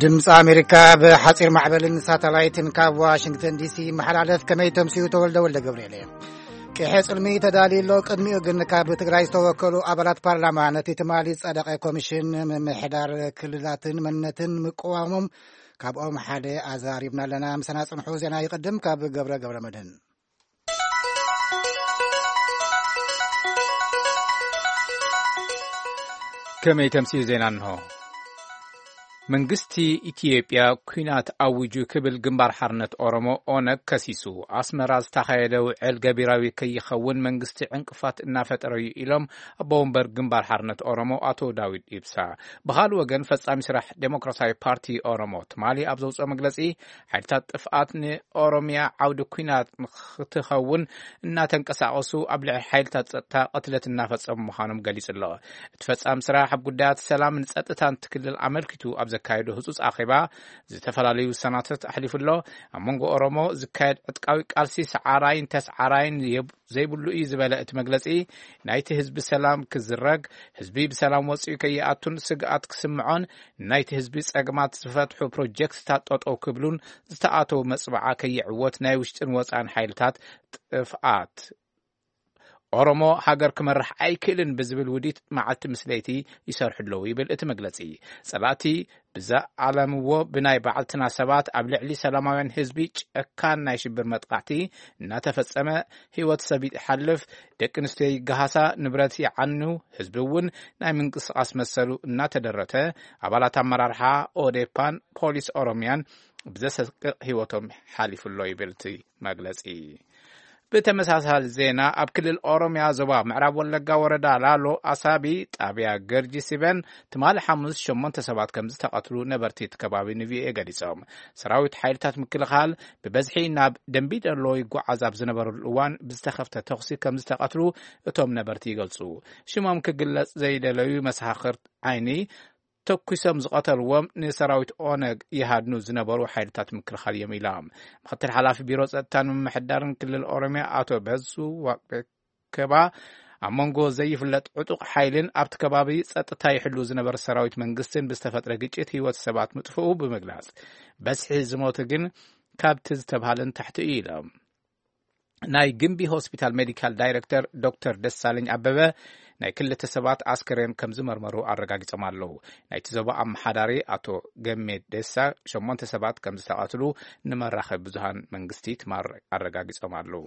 ድምፂ ኣሜሪካ ብሓፂር ማዕበልን ሳተላይትን ካብ ዋሽንግተን ዲሲ ይመሓላለፍ። ከመይ ተምስዩ? ተወልደ ወልደ ገብርኤል እየ። ቅሐ ፅልሚ ተዳልዩ ኣሎ። ቅድሚኡ ግን ካብ ትግራይ ዝተወከሉ ኣባላት ፓርላማ ነቲ ትማሊ ዝጸደቐ ኮሚሽን ምምሕዳር ክልላትን መንነትን ምቅዋሞም ካብኦም ሓደ ኣዛሪብና ኣለና። ምሳና ጽንሑ። ዜና ይቕድም ካብ ገብረ ገብረ መድህን። ከመይ ተምስዩ ዜና እንሆ። መንግስቲ ኢትዮጵያ ኲናት ኣዊጁ ክብል ግንባር ሓርነት ኦሮሞ ኦነግ ከሲሱ። ኣስመራ ዝተኻየደ ውዕል ገቢራዊ ከይኸውን መንግስቲ ዕንቅፋት እናፈጠረ እዩ ኢሎም ኣቦ ወንበር ግንባር ሓርነት ኦሮሞ ኣቶ ዳዊት ኢብሳ። ብኻልእ ወገን ፈጻሚ ስራሕ ዴሞክራሲያዊ ፓርቲ ኦሮሞ ትማሊ ኣብ ዘውፅኦ መግለፂ ሓይልታት ጥፍኣት ንኦሮሚያ ዓውዲ ኲናት ንክትኸውን እናተንቀሳቐሱ ኣብ ልዕሊ ሓይልታት ጸጥታ ቅትለት እናፈጸሙ ምዃኖም ገሊጹ ኣሎ። እቲ ፈጻሚ ስራሕ ኣብ ጉዳያት ሰላምን ጸጥታን እቲ ክልል ኣመልኪቱ ኣብ ዘካየዶ ህጹጽ ኣኼባ ዝተፈላለዩ ውሳናታት ኣሕሊፉ ኣሎ። ኣብ መንጎ ኦሮሞ ዝካየድ ዕጥቃዊ ቃልሲ ሰዓራይን ተስዓራይን የብ-፣ ዘይብሉ እዩ ዝበለ እቲ መግለጺ፣ ናይቲ ህዝቢ ሰላም ክዝረግ፣ ህዝቢ ብሰላም ወጺኡ ከይኣቱን ስግኣት ክስምዖን፣ ናይቲ ህዝቢ ጸገማት ዝፈትሑ ፕሮጀክትታት ጠጠው ክብሉን ዝተኣተው መጽብዓ ከይዕወት ናይ ውሽጥን ወጻን ሓይልታት ጥፍኣት ኦሮሞ ሃገር ክመርሕ ኣይክእልን ብዝብል ውዲት መዓልቲ ምስ ለይቲ ይሰርሑ ኣለዉ ይብል እቲ መግለጺ። ጸላእቲ ብዘኣለምዎ ብናይ ባዕልትና ሰባት ኣብ ልዕሊ ሰላማውያን ህዝቢ ጨካን ናይ ሽብር መጥቃዕቲ እናተፈጸመ ህይወት ሰብ ይሓልፍ፣ ደቂ ኣንስትዮ ይገሃሳ፣ ንብረት ይዓኑ፣ ህዝቢ እውን ናይ ምንቅስቓስ መሰሉ እናተደረተ፣ ኣባላት ኣመራርሓ ኦዴፓን ፖሊስ ኦሮሚያን ብዘሰቅቕ ህይወቶም ሓሊፉ ኣሎ ይብል እቲ መግለጺ። ብተመሳሳሊ ዜና፣ ኣብ ክልል ኦሮሚያ ዞባ ምዕራብ ወለጋ ወረዳ ላሎ ኣሳቢ ጣብያ ገርጂ ሲበን ትማሊ ሓሙስ ሸሞንተ ሰባት ከም ዝተቐትሉ ነበርቲ እቲ ከባቢ ንቪኦኤ ገሊጾም። ሰራዊት ሓይልታት ምክልኻል ብበዝሒ ናብ ደንቢዶሎ ይጓዓዝ ኣብ ዝነበረሉ እዋን ብዝተኸፍተ ተኹሲ ከም ዝተቐትሉ እቶም ነበርቲ ይገልጹ። ሽሞም ክግለጽ ዘይደለዩ መሰኻኽር ዓይኒ ተኩሶም ዝቐተልዎም ንሰራዊት ኦነግ ይሃድኑ ዝነበሩ ሓይልታት ምክልኻል እዮም ኢሎም። ምክትል ሓላፊ ቢሮ ጸጥታን ምምሕዳርን ክልል ኦሮሚያ ኣቶ በሱ ዋቅቤከባ ኣብ መንጎ ዘይፍለጥ ዕጡቕ ሓይልን ኣብቲ ከባቢ ጸጥታ ይሕሉ ዝነበረ ሰራዊት መንግስትን ብዝተፈጥረ ግጭት ህይወት ሰባት ምጥፍኡ ብምግላጽ፣ በዝሒ ዝሞቱ ግን ካብቲ ዝተብሃለ ንታሕቲ እዩ ኢሎም። ናይ ግምቢ ሆስፒታል ሜዲካል ዳይሬክተር ዶክተር ደሳለኝ ኣበበ ናይ ክልተ ሰባት ኣስከሬን ከም ዝመርመሩ ኣረጋጊጾም ኣለዉ። ናይቲ ዞባ ኣመሓዳሪ ኣቶ ገሜ ደሳ ሸሞንተ ሰባት ከም ዝተቐትሉ ንመራኸቢ ብዙሃን መንግስቲ ትማር ኣረጋጊጾም ኣለዉ።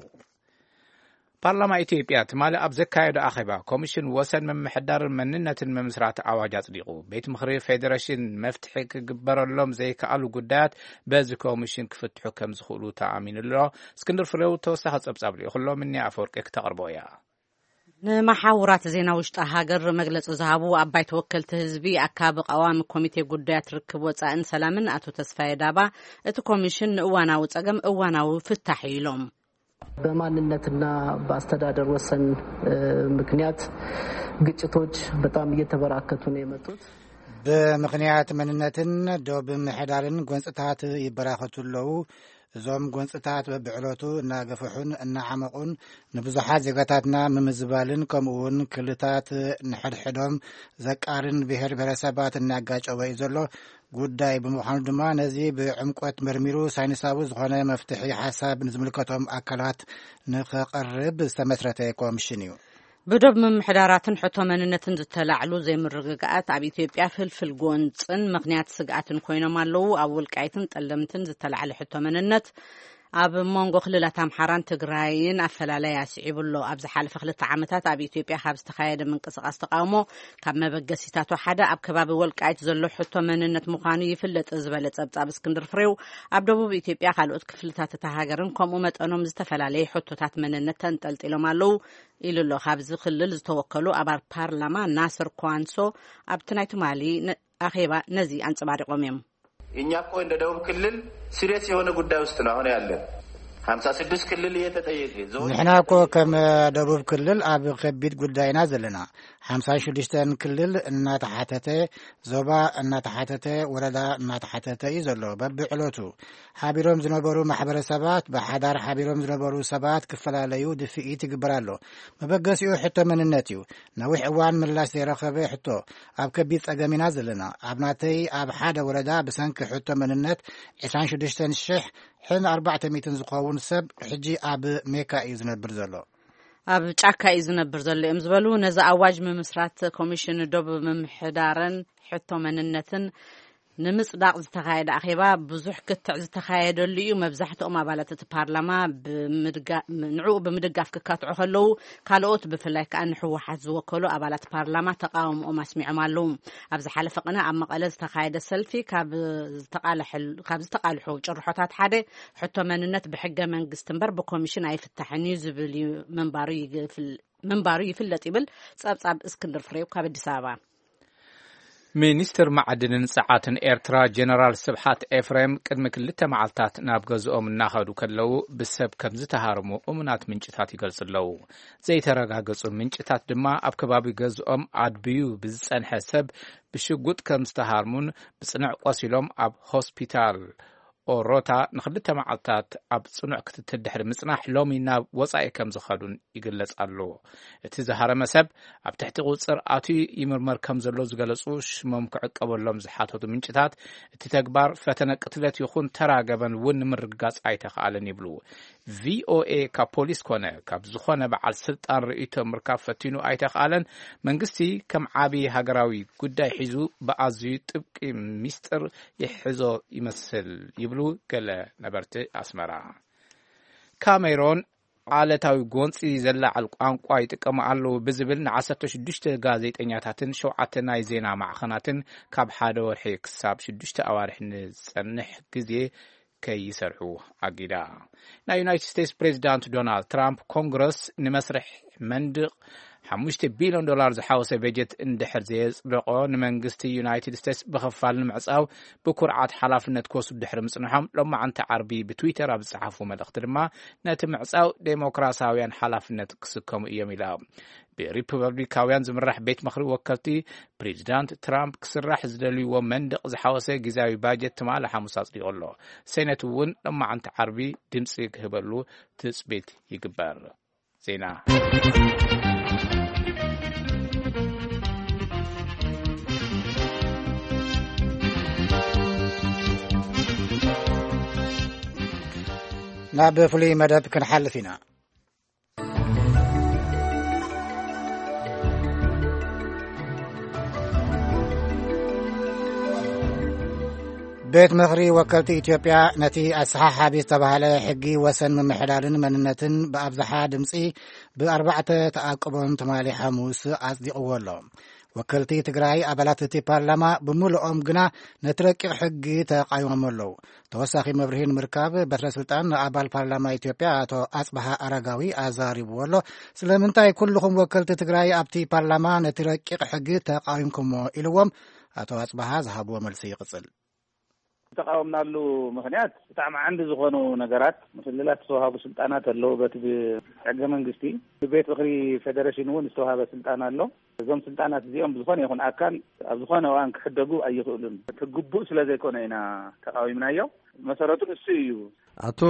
ፓርላማ ኢትዮጵያ ትማሊ ኣብ ዘካየዶ ኣኼባ ኮሚሽን ወሰን ምምሕዳርን መንነትን ምምስራት ኣዋጅ ኣጽዲቑ። ቤት ምኽሪ ፌዴሬሽን መፍትሒ ክግበረሎም ዘይከኣሉ ጉዳያት በዚ ኮሚሽን ክፍትሑ ከም ዝኽእሉ ተኣሚኑ ኣሎ። እስክንድር ፍሬው ተወሳኺ ጸብጻብ ልኢኹ ኣሎ። ምኒ ኣፈወርቂ ክተቕርቦ እያ። ንመሓውራት ዜና ውሽጢ ሃገር መግለጺ ዝሃቡ ኣባይ ተወከልቲ ህዝቢ ኣካቢ ቀዋሚ ኮሚቴ ጉዳያት ርክብ ወጻእን ሰላምን ኣቶ ተስፋዬ ዳባ፣ እቲ ኮሚሽን ንእዋናዊ ጸገም እዋናዊ ፍታሕ እዩ ኢሎም። በማንነትና በአስተዳደር ወሰን፣ እ፣ ምክንያት ግጭቶች በጣም እየተበራከቱ ነው የመጡት። ብምኽንያት መንነትን ዶብ ምሕዳርን ጎንፅታት ይበራኸቱ ኣለዉ። እዞም ጎንፅታት በብዕለቱ እናገፍሑን እናዓመቑን ንብዙሓት ዜጋታትና ምምዝባልን ከምኡውን ክልታት ንሕድሕዶም ዘቃርን ብሔር ብሔረሰባት እናጋጨወ እዩ ዘሎ ጉዳይ ብምዃኑ ድማ ነዚ ብዕምቆት መርሚሩ ሳይንሳዊ ዝኾነ መፍትሒ ሓሳብ ንዝምልከቶም ኣካላት ንኸቐርብ ዝተመስረተ ኮሚሽን እዩ። ብዶብ ምምሕዳራትን ሕቶ መንነትን ዝተላዕሉ ዘይምርግጋኣት ኣብ ኢትዮጵያ ፍልፍል ጎንፅን ምኽንያት ስግኣትን ኮይኖም ኣለዉ። ኣብ ወልቃይትን ጠለምትን ዝተላዕለ ሕቶ መንነት ኣብ መንጎ ክልላት ኣምሓራን ትግራይን ኣፈላላይ ኣስዒቡ ኣሎ። ኣብ ዝሓለፈ ክልተ ዓመታት ኣብ ኢትዮጵያ ካብ ዝተኻየደ ምንቅስቓስ ተቃውሞ ካብ መበገሲታቱ ሓደ ኣብ ከባቢ ወልቃይት ዘሎ ሕቶ መንነት ምዃኑ ይፍለጥ ዝበለ ጸብጻብ እስክንድር ፍሬው፣ ኣብ ደቡብ ኢትዮጵያ ካልኦት ክፍልታት እታ ሃገርን ከምኡ መጠኖም ዝተፈላለየ ሕቶታት መንነት ተንጠልጢሎም ኣለዉ ኢሉ ኣሎ። ካብዚ ክልል ዝተወከሉ ኣባል ፓርላማ ናስር ኳንሶ ኣብቲ ናይ ትማሊ ነ-፣ ኣኼባ ነዚ ኣንጸባሪቖም እዮም። እኛ እኮ እንደ ደቡብ ክልል ሲሪየስ የሆነ ጉዳይ ውስጥ ነው አሁን ያለን። ሀምሳ ስድስት ክልል እየተጠየቀ ዞን ንሕና እኮ ከም ደቡብ ክልል ኣብ ከቢድ ጉዳይና ዘለና። ሓምሳን ሽዱሽተን ክልል እናተሓተተ፣ ዞባ እናተሓተተ፣ ወረዳ እናተሓተተ እዩ ዘሎ። በብዕለቱ ሓቢሮም ዝነበሩ ማሕበረሰባት፣ ብሓዳር ሓቢሮም ዝነበሩ ሰባት ክፈላለዩ ድፍኢት ይግበር ኣሎ። መበገሲኡ ሕቶ መንነት እዩ። ነዊሕ እዋን ምላሽ ዘይረኸበ ሕቶ። ኣብ ከቢድ ጸገም ኢና ዘለና። ኣብ ናተይ፣ ኣብ ሓደ ወረዳ ብሰንኪ ሕቶ መንነት ዕስራን ሽዱሽተን ሽሕን ኣርባዕተ ሚእትን ዝኸውን ሰብ ሕጂ ኣብ ሜካ እዩ ዝነብር ዘሎ። ኣብ ጫካ እዩ ዝነብር ዘሎ እዮም ዝበሉ ነዚ ኣዋጅ ምምስራት ኮሚሽን ዶብ ምምሕዳርን ሕቶ መንነትን ንምጽዳቕ ዝተኻየደ ኣኼባ ብዙሕ ክትዕ ዝተኻየደሉ እዩ። መብዛሕትኦም ኣባላት እቲ ፓርላማ ብምድጋ-፣ ንዕኡ ብምድጋፍ ክካትዑ ከለዉ፣ ካልኦት ብፍላይ ከኣ ንህወሓት ዝወከሉ ኣባላት ፓርላማ ተቃውሞኦም ኣስሚዖም ኣለዉ። ኣብ ዝሓለፈ ቅነ ኣብ መቐለ ዝተኻየደ ሰልፊ ካብ ዝተቃለሐል-፣ ካብ ዝተቃልሑ ጭርሖታት ሓደ ሕቶ መንነት ብሕገ መንግስቲ እምበር ብኮሚሽን ኣይፍታሕን እዩ ዝብል እዩ ምንባሩ ይግፍል-፣ ምንባሩ ይፍለጥ ይብል ጸብጻብ እስክንድር ፍሬው ካብ ኣዲስ ኣበባ። ሚኒስትር መዓድንን ጸዓትን ኤርትራ ጀነራል ስብሓት ኤፍሬም ቅድሚ ክልተ መዓልታት ናብ ገዝኦም እናኸዱ ከለዉ ብሰብ ከም ዝተሃርሙ እሙናት ምንጭታት ይገልጹ ኣለዉ። ዘይተረጋገጹ ምንጭታት ድማ ኣብ ከባቢ ገዝኦም ኣድብዩ ብዝጸንሐ ሰብ ብሽጉጥ ከም ዝተሃርሙን ብጽኑዕ ቆሲሎም ኣብ ሆስፒታል ኦሮታ ንኽልተ መዓልታት ኣብ ጽኑዕ ክትትል ድሕሪ ምጽናሕ ሎሚ ናብ ወጻኢ ከም ዝኸዱን ይግለጽ ኣሎ። እቲ ዝሃረመ ሰብ ኣብ ትሕቲ ቁጽር ኣትዩ ይምርመር ከም ዘሎ ዝገለጹ ሽሞም ክዕቀበሎም ዝሓተቱ ምንጭታት፣ እቲ ተግባር ፈተነ ቅትለት ይኹን ተራ ገበን እውን ንምርግጋጽ ኣይተኻእለን ይብሉ። ቪኦኤ ካብ ፖሊስ ኮነ ካብ ዝኾነ በዓል ስልጣን ርእይቶ ምርካብ ፈቲኑ ኣይተኻእለን። መንግስቲ ከም ዓቢ ሃገራዊ ጉዳይ ሒዙ ብኣዝዩ ጥብቂ ሚስጥር ይሕዞ ይመስል ይብሉ ገለ ነበርቲ ኣስመራ። ካሜሮን ዓለታዊ ጎንፂ ዘላዓል ቋንቋ ይጥቀሙ ኣለዉ ብዝብል ንዓሰርተ ሽዱሽተ ጋዜጠኛታትን ሸውዓተ ናይ ዜና ማዕኸናትን ካብ ሓደ ወርሒ ክሳብ ሽዱሽተ ኣዋርሕ ንዝጸንሕ ግዜ ከይሰርሑ ኣጊዳ። ናይ ዩናይትድ ስቴትስ ፕሬዚዳንት ዶናልድ ትራምፕ ኮንግረስ ንመስርሕ መንድቕ ሓሙሽተ ቢልዮን ዶላር ዝሓወሰ በጀት እንድሕር ዘየጽደቆ፣ ንመንግስቲ ዩናይትድ ስቴትስ ብኸፋል ንምዕጻው ብኩርዓት ሓላፍነት ክወስዱ ድሕሪ ምጽንሖም፣ ሎማዓንቲ ዓርቢ ብትዊተር ኣብ ዝጸሓፉ መልእኽቲ ድማ፣ ነቲ ምዕጻው ዴሞክራሲያውያን ሓላፍነት ክስከሙ እዮም ኢላ። ብሪፐብሊካውያን ዝምራሕ ቤት ምኽሪ ወከልቲ፣ ፕሬዚዳንት ትራምፕ ክስራሕ ዝደልይዎ መንደቕ ዝሓወሰ ግዝያዊ ባጀት ትማሊ ሓሙስ ኣጽዲቑ ኣሎ። ሴኔት እውን ሎማዓንቲ ዓርቢ ድምጺ ክህበሉ ትጽቢት ይግበር። ዜና። ናብ ፍሉይ መደብ ክንሓልፍ ኢና። ቤት ምኽሪ ወከልቲ ኢትዮጵያ ነቲ ኣሰሓሓቢ ዝተባህለ ሕጊ ወሰን ምምሕዳርን መንነትን ብኣብዝሓ ድምፂ ብኣርባዕተ ተኣቅቦን ትማሊ ሓሙስ ኣጽዲቕዎ ኣሎ። ወከልቲ ትግራይ ኣባላት እቲ ፓርላማ ብምልኦም ግና ነቲ ረቂቕ ሕጊ ተቓይሞም ኣለዉ። ተወሳኺ መብርሂ ንምርካብ በትረ ስልጣን ንኣባል ፓርላማ ኢትዮጵያ ኣቶ ኣጽብሃ ኣረጋዊ ኣዛሪብዎ ኣሎ። ስለምንታይ ኩልኹም ወከልቲ ትግራይ ኣብቲ ፓርላማ ነቲ ረቂቕ ሕጊ ተቓዊምኩሞ ኢልዎም ኣቶ ኣጽብሃ ዝሃብዎ መልሲ ይቕጽል። ዝተቃወምናሉ ምኽንያት ብጣዕሚ ዓንዲ ዝኾኑ ነገራት፣ ንክልላት ዝተዋሃቡ ስልጣናት ኣለዉ። በቲ ብሕገ መንግስቲ ብቤት ምኽሪ ፌደሬሽን እውን ዝተዋሃበ ስልጣን ኣሎ። እዞም ስልጣናት እዚኦም ብዝኾነ ይኹን ኣካል ኣብ ዝኾነ እዋን ክሕደጉ ኣይኽእሉን። እቲ ግቡእ ስለ ዘይኮነ ኢና ተቃዊምናዮ። መሰረቱ ንሱ እዩ። ኣቶ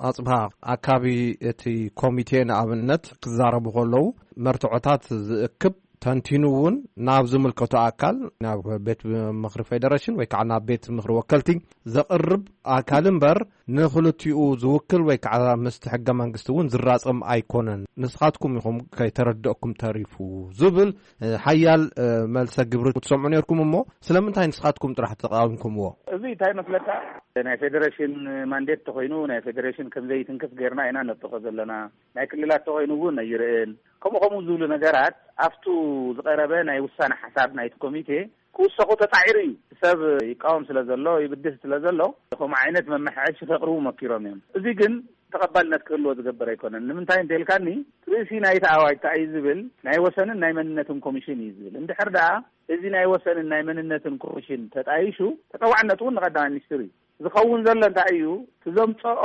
ኣጽብሃ፣ ኣካቢ እቲ ኮሚቴ ንኣብነት ክዛረቡ ከለዉ መርትዖታት ዝእክብ ተንቲኑ እውን ናብ ዝምልከቶ ኣካል፣ ናብ ቤት ምኽሪ ፌደሬሽን ወይ ከዓ ናብ ቤት ምኽሪ ወከልቲ ዘቕርብ ኣካል እምበር ንክልቲኡ ዝውክል ወይ ከዓ ምስቲ ሕገ መንግስቲ እውን ዝራጸም ኣይኮነን። ንስኻትኩም ኢኹም ከይተረደእኩም ተሪፉ ዝብል፣ እ፣ ሓያል፣ እ፣ መልሰ ግብሪ ክትሰምዑ ነርኩም እሞ ስለምንታይ ንስኻትኩም ጥራሕ ተቃዊምኩምዎ? እዚ እንታይ መስለካ? ናይ ፌደሬሽን ማንዴት ተኾይኑ ናይ ፌደሬሽን ከም ዘይትንክፍ ጌርና ኢና ነጥቆ ዘለና። ናይ ክልላት ተኾይኑ እውን ኣይርእን። ከምኡ ከምኡ ዝብሉ ነገራት ኣብቱ ዝቐረበ ናይ ውሳነ ሓሳብ ናይቲ ኮሚቴ ክውሰኹ ተጻዒሩ እዩ። ሰብ ይቃወም ስለ ዘሎ፣ ይብድህ ስለ ዘሎ፣ ከምኡ ዓይነት መመሓየሺ ከቕርቡ መኪሮም እዮም። እዚ ግን ተቐባልነት ክህልዎ ዝገብር ኣይኮነን። ንምንታይ እንተኢልካኒ፣ ርእሲ ናይቲ ኣዋጅ እንታይ እዩ ዝብል፣ ናይ ወሰንን ናይ መንነትን ኮሚሽን እዩ ዝብል። እንድሕር ደኣ እዚ ናይ ወሰንን ናይ መንነትን ኮሚሽን ተጣይሹ፣ ተጠዋዕነቱ እውን ንቀዳማይ ሚኒስትር እዩ። ዝኸውን ዘሎ እንታይ እዩ? እቲ ዘምፀኦ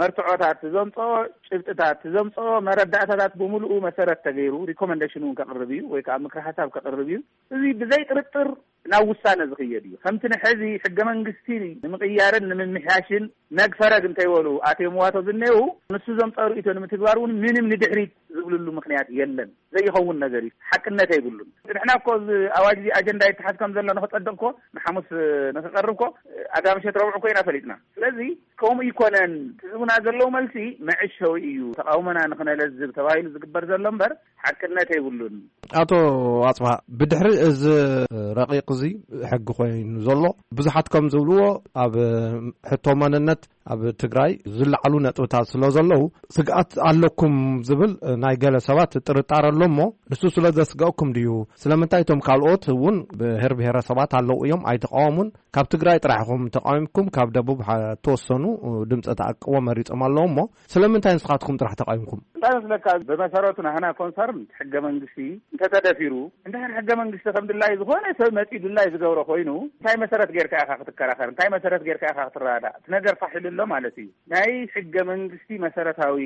መርትዖታት፣ ዘምፅኦ ጭብጥታት፣ ዘምፅኦ መረዳእታታት ብምሉኡ መሰረት ተገይሩ ሪኮመንዴሽን እውን ከቕርብ እዩ ወይ ከዓ ምክሪ ሓሳብ ከቕርብ እዩ። እዚ ብዘይ ጥርጥር ናብ ውሳነ ዝኽየድ እዩ። ከምቲ ንሕዚ ሕገ መንግስቲ ንምቕያርን ንምምሕያሽን ነግፈረግ እንተይበሉ ኣትዮም ዋቶ ዝኔው፣ ንሱ ዘምፀኦ ርእይቶ ንምትግባር እውን ምንም ንድሕሪት ዝብልሉ ምክንያት የለን። ዘይኸውን ነገር እዩ። ሓቅነት ኣይብሉን። ንሕና እኮ እዚ ኣዋጅ እዚ ኣጀንዳ ይተሓዝ ከም ዘሎ ንክፀድቕ እኮ ንሓሙስ ንክቐርብ እኮ ኣጋምሸት ረብዑ እኮ ኢና ፈሊጥና። ስለዚ ከምኡ ይኮነን። ትህቡና ዘለዉ መልሲ መዕሸዊ እዩ። ተቃውሞና ንክነለዝብ ተባሂሉ ዝግበር ዘሎ እምበር ሓቅነት የብሉን። ኣቶ ኣጽብሃ፣ ብድሕሪ እዚ ረቂቕ እዚ ሕጊ ኮይኑ ዘሎ፣ ብዙሓት ከም ዝብልዎ ኣብ ሕቶ መንነት ኣብ ትግራይ ዝለዓሉ ነጥብታት ስለ ዘለዉ ስግኣት ኣለኩም ዝብል ናይ ገለ ሰባት ጥርጣረ ኣሎ እሞ፣ ንሱ ስለ ዘስግኣኩም ድዩ? ስለምንታይ እቶም ካልኦት እውን ብሄር ብሄረሰባት ኣለዉ እዮም ኣይተቃወሙን? ካብ ትግራይ ጥራሕ ኢኹም ተቃዊምኩም፣ ካብ ደቡብ ሓ-፣ ተወሰኑ ድምፂ ተኣቅቦ መሪጾም ኣለዉ እሞ፣ ስለምንታይ ንስኻትኩም ጥራሕ ተቃዊምኩም? እንታይ መስለካ፣ ብመሰረቱ ናህና ኮንሰርን ሕገ መንግስቲ እንተተደፊሩ፣ እንታይ ሕገ መንግስቲ ከም ድላይ ዝኾነ ሰብ መፂኡ ድላይ ዝገብሮ ኮይኑ፣ እንታይ መሰረት ጌርካ ኢኻ ክትከራኸር? እንታይ መሰረት ጌርካ ኢኻ ክትረዳዳእ? እቲ ነገር ፋሕ ኢሉ ኣሎ ማለት እዩ። ናይ ሕገ መንግስቲ መሰረታዊ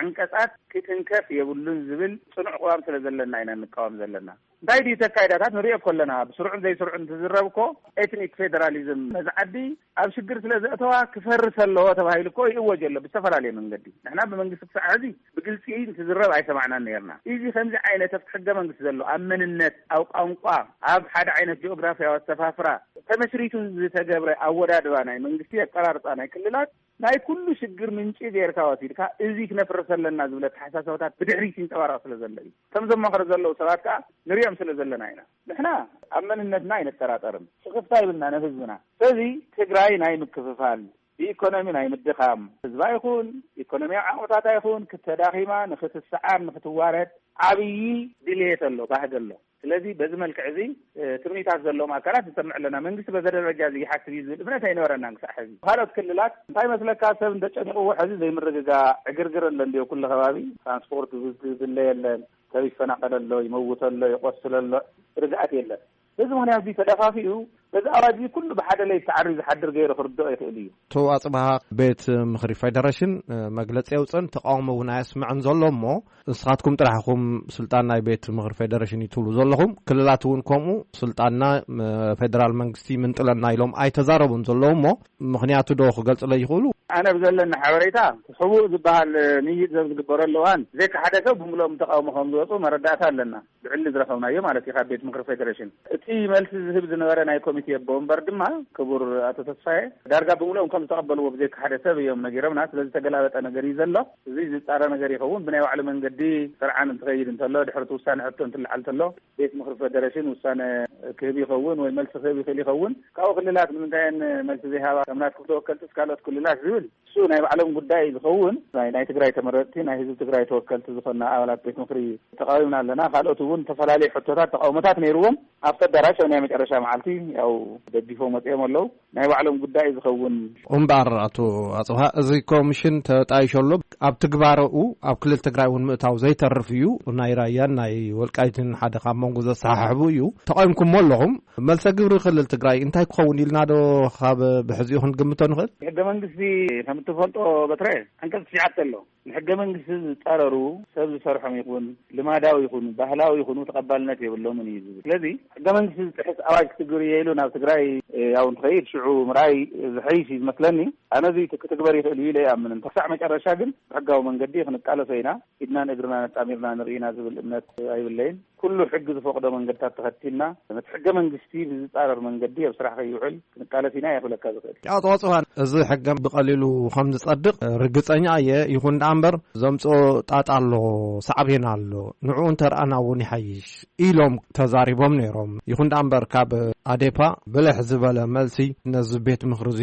ዓንቀጻት ክትንከፍ የብሉን ዝብል ጽኑዕ ቅዋም ስለ ዘለና ኢና ንቃወም ዘለና። እንታይ ድዩ ተካይዳታት ንሪኦ እኮ ኣለና። ብስሩዕን ዘይስሩዕን ትዝረብ እኮ ኤትኒክ ፌደራሊዝም ነዚ ዓዲ ኣብ ሽግር ስለ ዘእተዋ ክፈርስ ኣለዎ ተባሂሉ እኮ ይእወጅ ኣሎ ብዝተፈላለየ መንገዲ። ንሕና ብመንግስቲ ክሳዕ ሕዚ ብግልፂ እንትዝረብ ኣይሰማዕናን ነይርና። እዚ ከምዚ ዓይነት ኣብቲ ሕገ መንግስቲ ዘሎ ኣብ መንነት፣ ኣብ ቋንቋ፣ ኣብ ሓደ ዓይነት ጂኦግራፊያዊ ኣሰፋፍራ ተመስሪቱ ዝተገብረ ኣወዳድባ ናይ መንግስቲ፣ ኣቀራርፃ ናይ ክልላት ናይ ኩሉ ሽግር ምንጪ ጌርካ ወሲድካ እዚ ክነፍርስ ኣለና ዝብል ኣተሓሳሰባታት ብድሕሪት ይንፀባረቕ ስለ ዘሎ እዩ። ከም ዘማኽሩ ዘለዉ ሰባት ከዓ ንሪኦም ስለ ዘለና ኢና። ንሕና ኣብ መንነትና ኣይንጠራጠርን። ስኽፍታ ይብልና ንህዝብና። ስለዚ ትግራይ ናይ ምክፍፋል፣ ብኢኮኖሚ ናይ ምድኻም፣ ህዝባ ይኹን ኢኮኖሚያዊ ዓቕምታታ ይኹን ክተዳኺማ፣ ንክትሰዓር፣ ንክትዋረድ ዓብዪ ድልየት ኣሎ፣ ባህጊ ኣሎ። ስለዚ በዚ መልክዕ እዚ፣ እ፣ ትምኒታት ዘለዎም ኣካላት ንሰምዕ ኣለና። መንግስቲ በዚ ደረጃ እዚ ይሓስብ እዩ ዝብል እምነት ኣይነበረናን ክሳዕ ሕዚ። ካልኦት ክልላት እንታይ መስለካ፣ ሰብ እንደጨኒቕዎ ሕዚ ዘይምርግጋእ ዕግርግር ኣሎ እንድዮ፣ ኩሉ ከባቢ ትራንስፖርት ዝድለ የለን፣ ሰብ ይፈናቐል ኣሎ፣ ይመውት ኣሎ፣ ይቆስል ኣሎ፣ ርግኣት የለን። በዚ ምኽንያት እዚ ተደፋፊኡ በዚ ኣዋጅ እዚ ኩሉ ብሓደ ለይቲ ተዓርዩ ዝሓድር ገይሩ ክርድኦ ይኽእል እዩ። ኣቶ ኣጽብሃ፣ ቤት ምኽሪ ፌደሬሽን፣ እ፣ መግለጺ የውጽእን ተቃውሞ እውን ኣየስምዕን ዘሎ እሞ፣ ንስኻትኩም ጥራሕ ኢኹም ስልጣን ናይ ቤት ምኽሪ ፌደሬሽን እዩ ትብሉ ዘለኹም። ክልላት እውን ከምኡ ስልጣንና፣ ም-፣ ፌደራል መንግስቲ ይምንጥለና ኢሎም ኣይተዛረቡን ዘለዉ እሞ፣ ምኽንያቱ ዶ ክገልጹለይ ይኽእሉ? ኣነ ብዘለኒ ሓበሬታ፣ ሕቡእ ዝበሃል ምይይጥ ሰብ ዝግበረሉ እዋን፣ ዘይካ ሓደ ሰብ ብምልኦም ተቃውሞ ከም ዝወፁ መረዳእታ ኣለና። ብዕሊ ዝረኸብናዮ ማለት እዩ ካብ ቤት ምኽሪ ፌደሬሽን። እቲ መልሲ ዝህብ ዝነበረ ናይ ኮሚቴ ኣቦ ወንበር ድማ ክቡር ኣቶ ተስፋዬ ዳርጋ ብምልኦም ከም ዝተቐበልዎ ብዘይካ ሓደ ሰብ እዮም ነጊሮምና። ስለዚ ተገላበጠ ነገር እዩ ዘሎ። እዚ ዝጻረ ነገር ይኸውን። ብናይ ባዕሉ መንገዲ ስርዓን እንትኸይድ እንተሎ፣ ድሕሪ እቲ ውሳነ ሕቶ እንትለዓል እንተሎ፣ ቤት ምኽሪ ፌደሬሽን ውሳነ ክህብ ይኸውን ወይ መልሲ ክህብ ይኽእል ይኸውን። ካብኡ ክልላት ንምንታይ እየን መልሲ ዘይሃባ? ከም ናትኩም ተወከልትስ ካልኦት ክልላት ዝብል እሱ ናይ ባዕሎም ጉዳይ ዝኸውን፣ ናይ፣ ናይ ትግራይ ተመረጥቲ፣ ናይ ህዝቢ ትግራይ ተወከልቲ ዝኾንና ኣባላት ቤት ምኽሪ ተቃዊምና ኣለና። ካልኦት እውን ዝተፈላለዩ ሕቶታት፣ ተቃውሞታት ነይርዎም። ኣብቲ ኣዳራሽ ኣብ ናይ መጨረሻ መዓልቲ ያው ደጊፎም ወፂኦም ኣለዉ። ናይ ባዕሎም ጉዳይ ዝኸውን። እምበኣር ኣቶ ኣጽብሃ፣ እዚ ኮሚሽን ተጣይሾ ኣሎ። ኣብ ትግባረኡ ኣብ ክልል ትግራይ እውን ምእታው ዘይተርፍ እዩ። ናይ ራያን ናይ ወልቃይትን ሓደ ካብ መንጎ ዘሰሓሕቡ እዩ። ተቃዊምኩሞ ኣለኹም። መልሰ ግብሪ ክልል ትግራይ እንታይ ክኸውን ኢልና ዶ ካብ ብሕዚኡ ክንግምቶ ንኽእል? ሕገ መንግስቲ ከም እትፈልጦ በትረ፣ ዓንቀጽ ትሽዓተ ኣሎ። ንሕገ መንግስቲ ዝጻረሩ ሰብ ዝሰርሖም ይኹን ልማዳዊ ይኹን ባህላዊ ይኹኑ ተቐባልነት የብሎምን እዩ ዝብል። ስለዚ ሕገ መንግስቲ ዝጥሕስ ኣዋጅ ክትግብር እየ ኢሉ ናብ ትግራይ፣ እ፣ ያው እንትኸይድ ሽዑ ምርኣይ ዝሐይሽ እዩ ዝመስለኒ። ኣነ እዚ ክትግበር ይኽእል እዩ ኢለ ኣይኣምንን። ክሳዕ መጨረሻ ግን ብሕጋዊ መንገዲ ክንቃለሶ ኢና። ኢድናን እግርናን ኣጣሚርና ንርኢና ዝብል እምነት ኣይብለይን። ኩሉ ሕጊ ዝፈቕዶ መንገድታት ተኸቲልና፣ ነቲ ሕገ መንግስቲ ብዝጻረር መንገዲ ኣብ ስራሕ ከይውዕል ክንቃለስ ኢና እየ ክብለካ ዝኽእል። ኣቶ ኣጽብሃ፣ እዚ ሕገ ብቐሊሉ ከም ዝጸድቕ ርግጸኛ እየ። ይኹን ደኣ እምበር ዘምጽኦ ጣጣ ኣሎ፣ ሳዕቤን ኣሎ። ንዕኡ እንተርኣና እውን ይሓይሽ ኢሎም ተዛሪቦም ነይሮም። ይኹን ደኣ እምበር ካብ ኣዴፓ ብልሕ ዝበለ መልሲ ነዚ ቤት ምኽሪ እዚ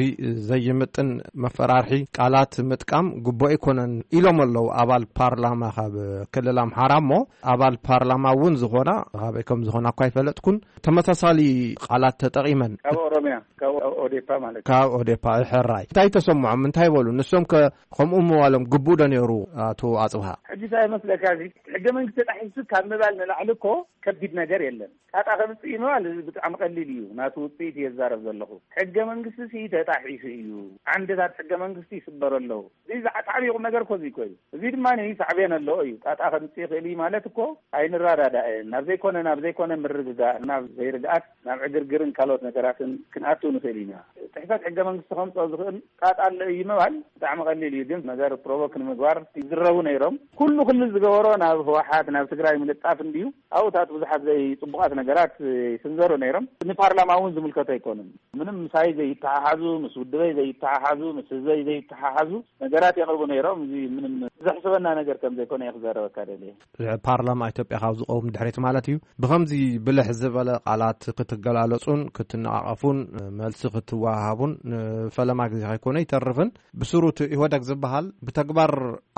ዘይምጥን መፈራርሒ ቃላት ምጥቃም ግቡእ ኣይኮነን ኢሎም ኣለዉ ኣባል ፓርላማ ካብ ክልል ኣምሓራ። እሞ ኣባል ፓርላማ እውን ዝኾና፣ ካበይ ከም ዝኾና እኳ ኣይፈለጥኩን፣ ተመሳሳሊ ቃላት ተጠቒመን። ካብ ኦሮሚያ፣ ካብ ኦዴፓ ማለት እዩ። ካብ ኦዴፓ፣ ሕራይ። እንታይ ተሰምዖም? እንታይ በሉ? ንሶም ከ ከምኡ ምባሎም ግቡእ ዶ ነይሩ? ኣቶ ኣጽብሃ። እዚ እንታይ መስለካ? እዚ ሕገ መንግስቲ ተጣሒሱ ካብ ምባል ንላዕሊ እኮ ከቢድ ነገር የለን። ጣጣ ከምጽእ እዩ ምባል እዚ ብጣዕሚ ቀሊል እዩ። ናቱ ውጽኢት እየ ዝዛረብ ዘለኹ። ሕገ መንግስቲ ሲ ተጣሒሱ እዩ። ዓንድታት ሕገ መንግስቲ ይስበሩ ኣለዉ። እዚ ዝዓጣዕሚ ቁም ነገር እኮ እዚ እኮ እዩ። እዚ ድማ ሳዕቤን ኣለዎ እዩ። ጣጣ ከምጽእ ይኽእል እዩ ማለት እኮ ኣይንረዳዳእን። ናብ ዘይኮነ፣ ናብ ዘይኮነ ምርግጋእ፣ ናብ ዘይርግኣት፣ ናብ ዕግርግርን ካልኦት ነገራትን ክንኣቱ ንኽእል ኢና። ጥሕሰት ሕገ መንግስቲ ከምጽኦ ዝኽእል ጣጣ ኣሎ እዩ ምባል ብጣዕሚ ቀሊል እዩ። ግን ነገር ፕሮቮክ ንምግባር ይዝረቡ ነይሮም። ኩሉ ክልል ዝገበሮ ናብ ህወሓት፣ ናብ ትግራይ ምልጣፍ እንድዩ። ኣብኡታት ብዙሓት ዘይጽቡቓት ነገራት ይስንዘሩ ነይሮም። ንፓርላማ እውን ዝምልከቶ ኣይኮኑን። ምንም ምሳይ ዘይተሓሓዙ፣ ምስ ውድበይ ዘይተሓሓዙ፣ ምስ ህዝበይ ዘይተሓሓዙ ነገራት የቕርቡ ነይሮም። እዚ ምንም ዘሕስበና ነገር ከም ዘይኮነ እየ ክዛረበካ ደልየ። ፓርላማ ኢትዮጵያ ካብ ዝቆም ድሕሪት ማለት እዩ። ብኸምዚ ብልሕ ዝበለ ቃላት ክትገላለጹን ክትነቓቐፉን መልሲ ክትወሃሃቡን ንፈለማ ግዜ ከይኮነ ይተርፍን፣ ብስሩ እቲ ኢህወደግ ዝበሃል ብተግባር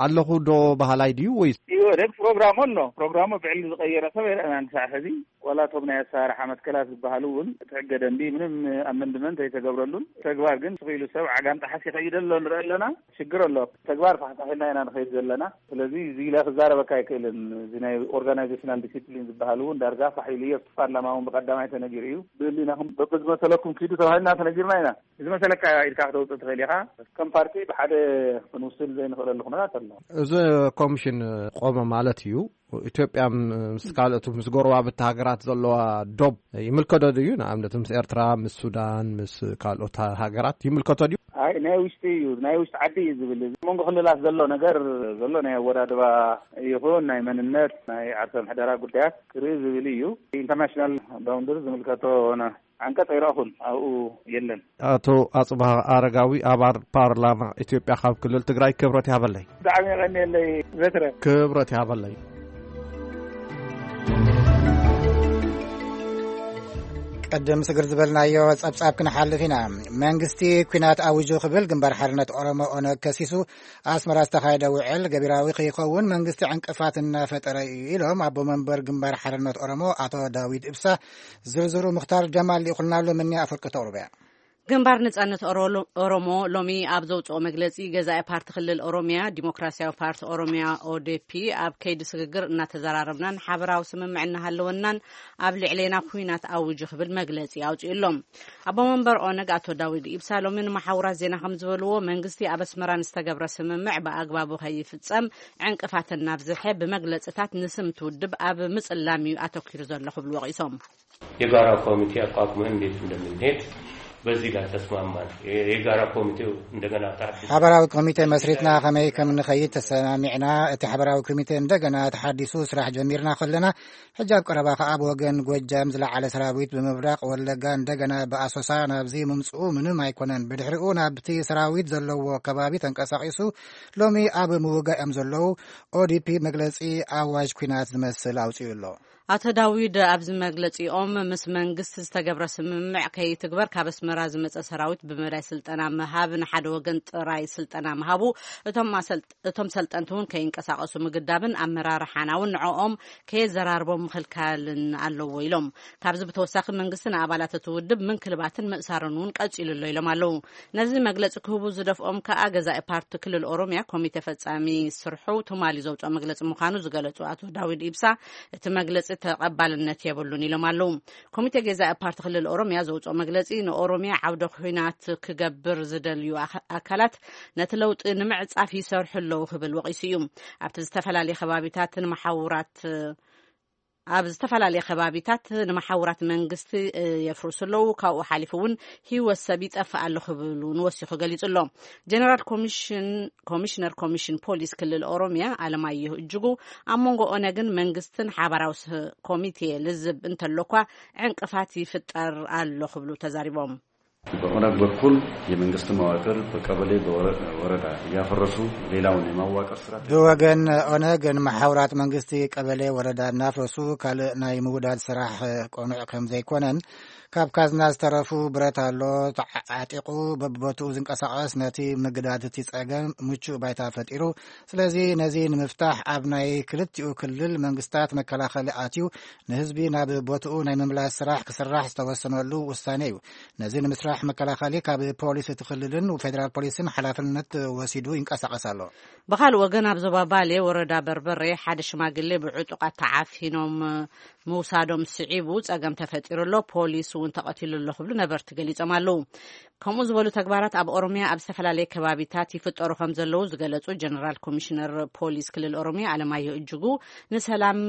ኣለኹ ዶ በሃላይ ድዩ ወይስ? ኢህወደግ ፕሮግራሙ ኣሎ። ፕሮግራሙ ብዕሊ ዝቐየረ ሰብ ኣይረኣናን ክሳዕ ሕዚ። ዋላ እቶም ናይ ኣሰራርሓ መትከላት ዝበሃሉ እውን እቲ ሕገ ደንቢ ምንም ኣመንድመንት ኣይተገብረሉን። ተግባር ግን ስቕ ኢሉ ሰብ ዓጋም ጠሓስ ይኸይድ ኣሎ ንርኢ ኣለና። ሽግር ኣሎ። ተግባር ፋሕፋሕ ኢልና ኢና ንኸይድ ዘለና። ስለዚ እዚ ኢለ ክዛረበካ ኣይክእልን። እዚ ናይ ኦርጋናይዜሽናል ዲሲፕሊን ዝበሃል እውን ዳርጋ ፋሕ ኢሉ እየ። ኣብቲ ፓርላማ እውን ብቐዳማይ ተነጊሩ እዩ። ብህሊናኹም በብዝመሰለኩም ኪዱ ተባሂልና ተነጊርና ኢና። እዚ መሰለካ ኢልካ ክተውፅእ ትኽእል ኢኻ። ከም ፓርቲ ብሓደ ክንውስን ዘይንኽእለሉ ኩነታት ኣሎ። እዚ ኮሚሽን ቆመ ማለት እዩ። ኢትዮጵያ ምስ ካልኦት፣ ምስ ጎረባብቲ ሃገራት ዘለዋ ዶብ ይምልከቶ ድዩ? ንኣብነት ምስ ኤርትራ፣ ምስ ሱዳን፣ ምስ ካልኦት ሃገራት ይምልከቶ ድዩ? ኣይ፣ ናይ ውሽጢ እዩ፣ ናይ ውሽጢ ዓዲ እዩ ዝብል። እዚ መንጎ ክልላት ዘሎ ነገር ዘሎ ናይ ኣወዳድባ ይኹን ናይ መንነት፣ ናይ ዓርሰ ምሕደራ ጉዳያት ክርኢ ዝብል እዩ። ኢንተርናሽናል ባውንደሪ ዝምልከቶ ሆነ ዓንቀጽ ኣይረእኹን፣ ኣብኡ የለን። ኣቶ ኣጽብሃ ኣረጋዊ፣ ኣባል ፓርላማ ኢትዮጵያ ካብ ክልል ትግራይ፣ ክብረት ይሃበለይ። ብጣዕሚ የቐንየለይ በትረ። ክብረት ይሃበለይ። ቅድም ስግር ዝበልናዮ ጸብጻብ ክንሓልፍ ኢና። መንግስቲ ኲናት ኣዊጁ ክብል ግንባር ሓርነት ኦሮሞ ኦነግ ከሲሱ። ኣስመራ ዝተኻየደ ውዕል ገቢራዊ ከይኸውን መንግስቲ ዕንቅፋት እናፈጠረ እዩ ኢሎም ኣቦ መንበር ግንባር ሓርነት ኦሮሞ ኣቶ ዳዊት ኢብሳ። ዝርዝሩ ምኽታር ጀማል ልኢኹልና ኣሎ። ምኒ ኣፍርቂ ተቕርበያ። ግንባር ነጻነት ኦሮ-፣ ኦሮሞ ሎሚ ኣብ ዘውፅኦ መግለፂ፣ ገዛኢ ፓርቲ ክልል ኦሮሚያ ዲሞክራሲያዊ ፓርቲ ኦሮሚያ ኦዴፒ ኣብ ከይዲ ስግግር እናተዘራረብናን ሓበራዊ ስምምዕ እናሃለወናን ኣብ ልዕሌና ኩናት ኣውጁ ክብል መግለፂ ኣውፂኡ ኣሎ። ኣቦ መንበር ኦነግ ኣቶ ዳዊድ ኢብሳ ሎሚ ንመሓውራት ዜና ከም ዝበልዎ፣ መንግስቲ ኣብ ኣስመራ ንዝተገብረ ስምምዕ ብኣግባቡ ከይፍፀም ዕንቅፋት እናብዝሐ ብመግለፅታት ንስም እቲ ውድብ ኣብ ምፅላም እዩ ኣተኪሩ ዘሎ ክብሉ ወቒሶም። የጋራ ኮሚቴ ኣቋቁመን እንዴት እንደምንሄድ በዚህ ላይ ተስማማን። የጋራ ኮሚቴው እንደገና ታዲስ ሓበራዊ ኮሚቴ መስሪትና ከመይ ከም ንኸይድ ተሰማሚዕና። እቲ ሓበራዊ ኮሚቴ እንደገና ተሓዲሱ ስራሕ ጀሚርና ከለና፣ ሕጂ ኣብ ቀረባ ከኣ ብወገን ጎጃም ዝለዓለ ሰራዊት ብምብራቕ ወለጋ እንደገና ብኣሶሳ ናብዚ ምምፅኡ ምንም ኣይኮነን። ብድሕሪኡ ናብቲ ሰራዊት ዘለዎ ከባቢ ተንቀሳቒሱ ሎሚ ኣብ ምውጋእ እዮም ዘለዉ። ኦዲፒ መግለፂ ኣዋጅ ኲናት ዝመስል ኣውፂኡ ኣሎ። ኣቶ ዳዊድ ኣብዚ መግለጺኦም፣ ምስ መንግስቲ ዝተገብረ ስምምዕ ከይትግበር ካብ ኣስመራ ዝመጸ ሰራዊት ብመዳይ ስልጠና ምሃብ፣ ንሓደ ወገን ጥራይ ስልጠና ምሃቡ፣ እቶም ኣሰልጥ-፣ እቶም ሰልጠንቲ እውን ከይንቀሳቐሱ ምግዳብን ኣመራርሓና እውን ንዕኦም ከየዘራርቦም ምኽልካልን ኣለዎ ኢሎም። ካብዚ ብተወሳኺ መንግስቲ ንኣባላት እቲ ውድብ ምንክልባትን ምእሳርን እውን ቀጺሉ ኣሎ ኢሎም ኣለዉ። ነዚ መግለጺ ክህቡ ዝደፍኦም ከኣ ገዛኢ ፓርቲ ክልል ኦሮምያ ኮሚቴ ፈጻሚ ስርሑ ትማሊ ዘውፅኦ መግለጺ ምዃኑ ዝገለጹ ኣቶ ዳዊድ ኢብሳ፣ እቲ መግለጺ ተቐባልነት የብሉን ኢሎም ኣለዉ። ኮሚቴ ገዛኢ ፓርቲ ክልል ኦሮምያ ዘውፅኦ መግለጺ፣ ንኦሮምያ ዓውደ ኲናት ክገብር ዝደልዩ ኣካ-፣ ኣካላት ነቲ ለውጢ ንምዕጻፍ ይሰርሑ ኣለዉ ክብል ወቒሱ እዩ። ኣብቲ ዝተፈላለየ ከባቢታት ንመሓውራት ኣብ ዝተፈላለየ ከባቢታት ንመሓውራት መንግስቲ የፍርሱ ኣለዉ። ካብኡ ሓሊፉ እውን ህይወት ሰብ ይጠፍእ ኣሎ ክብል እውን ወሲኹ ገሊጹ ኣሎ። ጀነራል ኮሚሽን-፣ ኮሚሽነር ኮሚሽን ፖሊስ ክልል ኦሮምያ ኣለማየሁ እጅጉ፣ ኣብ መንጎ ኦነግን መንግስትን ሓባራዊ ስ-፣ ኮሚቴ ልዝብ እንተሎኳ፣ ዕንቅፋት ይፍጠር ኣሎ ክብሉ ተዛሪቦም። በኦነግ በኩል የመንግስት መዋቅር በቀበሌ በወረ-፣ ወረዳ እያፈረሱ ሌላውን የማዋቀር ስራ ብወገን ኦነግ ንመሓውራት መንግስቲ ቀበሌ ወረዳ እናፍረሱ ካልእ ናይ ምውዳድ ስራሕ ቅኑዕ ከም ዘይኮነን ካብ ካዝና ዝተረፉ ብረት ኣሎ ተዓጢቑ በብቦትኡ ዝንቀሳቐስ ነቲ ምግዳድ እቲ ጸገም ምቹእ ባይታ ፈጢሩ። ስለዚ ነዚ ንምፍታሕ ኣብ ናይ ክልቲኡ ክልል መንግስታት መከላኸሊ ኣትዩ ንህዝቢ ናብ ቦትኡ ናይ ምምላስ ስራሕ ክስራሕ ዝተወሰነሉ ውሳኔ እዩ። ነዚ ንምስራሕ መከላኸሊ ካብ ፖሊስ እቲ ክልልን ፌደራል ፖሊስን ሓላፍነት ወሲዱ ይንቀሳቐስ ኣሎ። ብኻልእ ወገን ኣብ ዞባ ባሌ ወረዳ በርበሬ ሓደ ሽማግሌ ብዕጡቓት ተዓፊኖም ምውሳዶም ስዒቡ ጸገም ተፈጢሩ ኣሎ። ፖሊስ እውን ተቐቲሉ ኣሎ ክብሉ ነበርቲ ገሊጾም ኣለዉ። ከምኡ ዝበሉ ተግባራት ኣብ ኦሮሚያ ኣብ ዝተፈላለየ ከባቢታት ይፍጠሩ ከም ዘለዉ ዝገለጹ ጀነራል ኮሚሽነር ፖሊስ ክልል ኦሮሚያ ኣለማየሁ እጅጉ ንሰላም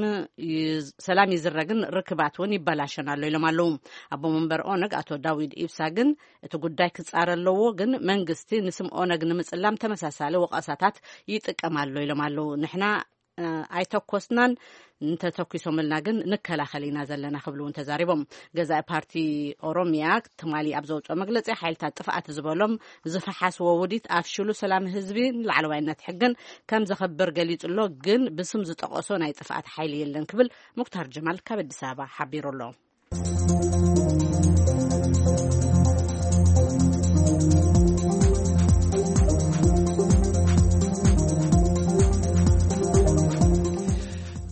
ይዝ- ሰላም ይዝረግን ርክባት እውን ይበላሸን ኣሎ ኢሎም ኣለዉ። ኣቦ መንበር ኦነግ ኣቶ ዳዊድ ኢብሳ ግን እቲ ጉዳይ ክጻረ ኣለዎ፣ ግን መንግስቲ ንስም ኦነግ ንምጽላም ተመሳሳሊ ወቐሳታት ይጥቀም ኣሎ ኢሎም ኣለዉ። ንሕና እ፣ ኣይተኮስናን፣ እንተተኩሶምልና ግን ንከላኸል ኢና ዘለና ክብሉ እውን ተዛሪቦም። ገዛኢ ፓርቲ ኦሮሚያ ትማሊ ኣብ ዘውፅኦ መግለፂ ሓይልታት ጥፍኣት ዝበሎም ዝፈሓስዎ ውዲት ኣፍሽሉ ሰላም ህዝቢ ንላዕለዋይነት ሕግን ከም ዘኸብር ገሊፁ ኣሎ። ግን ብስም ዝጠቐሶ ናይ ጥፍኣት ሓይሊ የለን ክብል ሙክታር ጀማል ካብ ኣዲስ ኣበባ ሓቢሩ ኣሎ።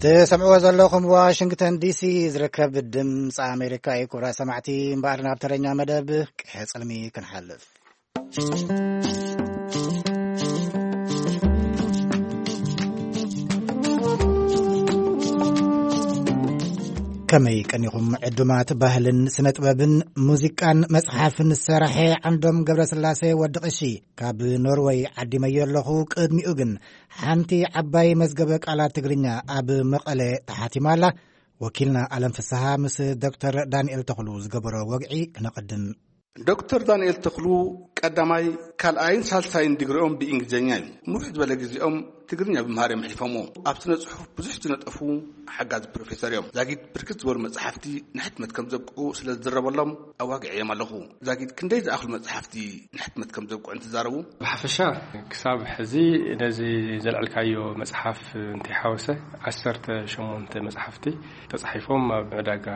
ትሰምዕዎ ዘለኹም ዋሽንግተን ዲሲ ዝርከብ ድምፂ ኣሜሪካ እዩ። ክቡራት ሰማዕቲ፣ እምበኣር ናብ ተረኛ መደብ ቅሐ ጽልሚ ክንሓልፍ። ከመይ ቀኒኹም ዕዱማት ባህልን ስነ ጥበብን ሙዚቃን መጽሓፍን ዝሰራሐ ዓንዶም ገብረስላሴ ወዲ ቀሺ ካብ ኖርወይ ዓዲመዮ ኣለኹ። ቅድሚኡ ግን ሓንቲ ዓባይ መዝገበ ቃላት ትግርኛ ኣብ መቐለ ተሓቲማ ኣላ። ወኪልና ኣለም ፍስሃ ምስ ዶክተር ዳንኤል ተኽሉ ዝገበሮ ወግዒ ክነቐድም። ዶክተር ዳንኤል ተኽሉ ቀዳማይ፣ ካልኣይን ሳልሳይን ዲግሪኦም ብእንግሊዝኛ እዩ። ንውሕ ዝበለ ግዜኦም ትግርኛ ብምሃር እዮም ኣሕሊፎምዎ። ኣብ ስነ ጽሑፍ ብዙሕ ዝነጠፉ ሓጋዚ ፕሮፌሰር እዮም። ዛጊድ ብርክት ዝበሉ መጽሓፍቲ ንሕትመት ከም ዘብቅዑ ስለ ዝዝረበሎም ኣዋጊዐዮም ኣለኹ። ዛጊድ ክንደይ ዝኣኽሉ መጽሓፍቲ ንሕትመት ከም ዘብቅዑ እንትዛረቡ፣ ብሓፈሻ ክሳብ ሕዚ ነዚ ዘልዕልካዮ መጽሓፍ እንተይሓወሰ ዓሰርተ ሸሞንተ መጽሓፍቲ ተጻሒፎም ኣብ ዕዳጋ